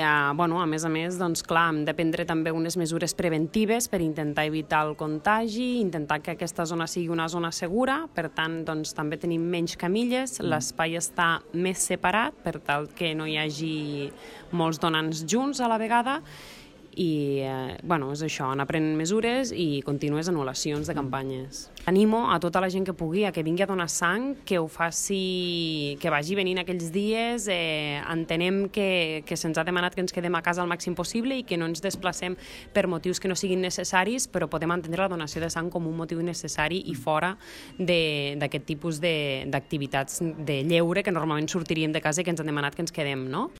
a més a més, doncs, clar, hem de prendre també unes mesures preventives per intentar evitar el contagi, intentar que aquesta zona sigui una zona segura, per tant, doncs, també tenim menys camilles, l'espai està més separat per tal que no hi hagi molts donants junts a la vegada, i és això, anar prenent mesures i contínues anul·lacions de campanyes. Animo a tota la gent que pugui a que vingui a donar sang, que ho faci, que vagi venint aquells dies. Entenem que se'ns ha demanat que ens quedem a casa el màxim possible i que no ens desplacem per motius que no siguin necessaris, però podem entendre la donació de sang com un motiu necessari i fora d'aquest tipus d'activitats de lleure que normalment sortiríem de casa i que ens han demanat que ens quedem, no?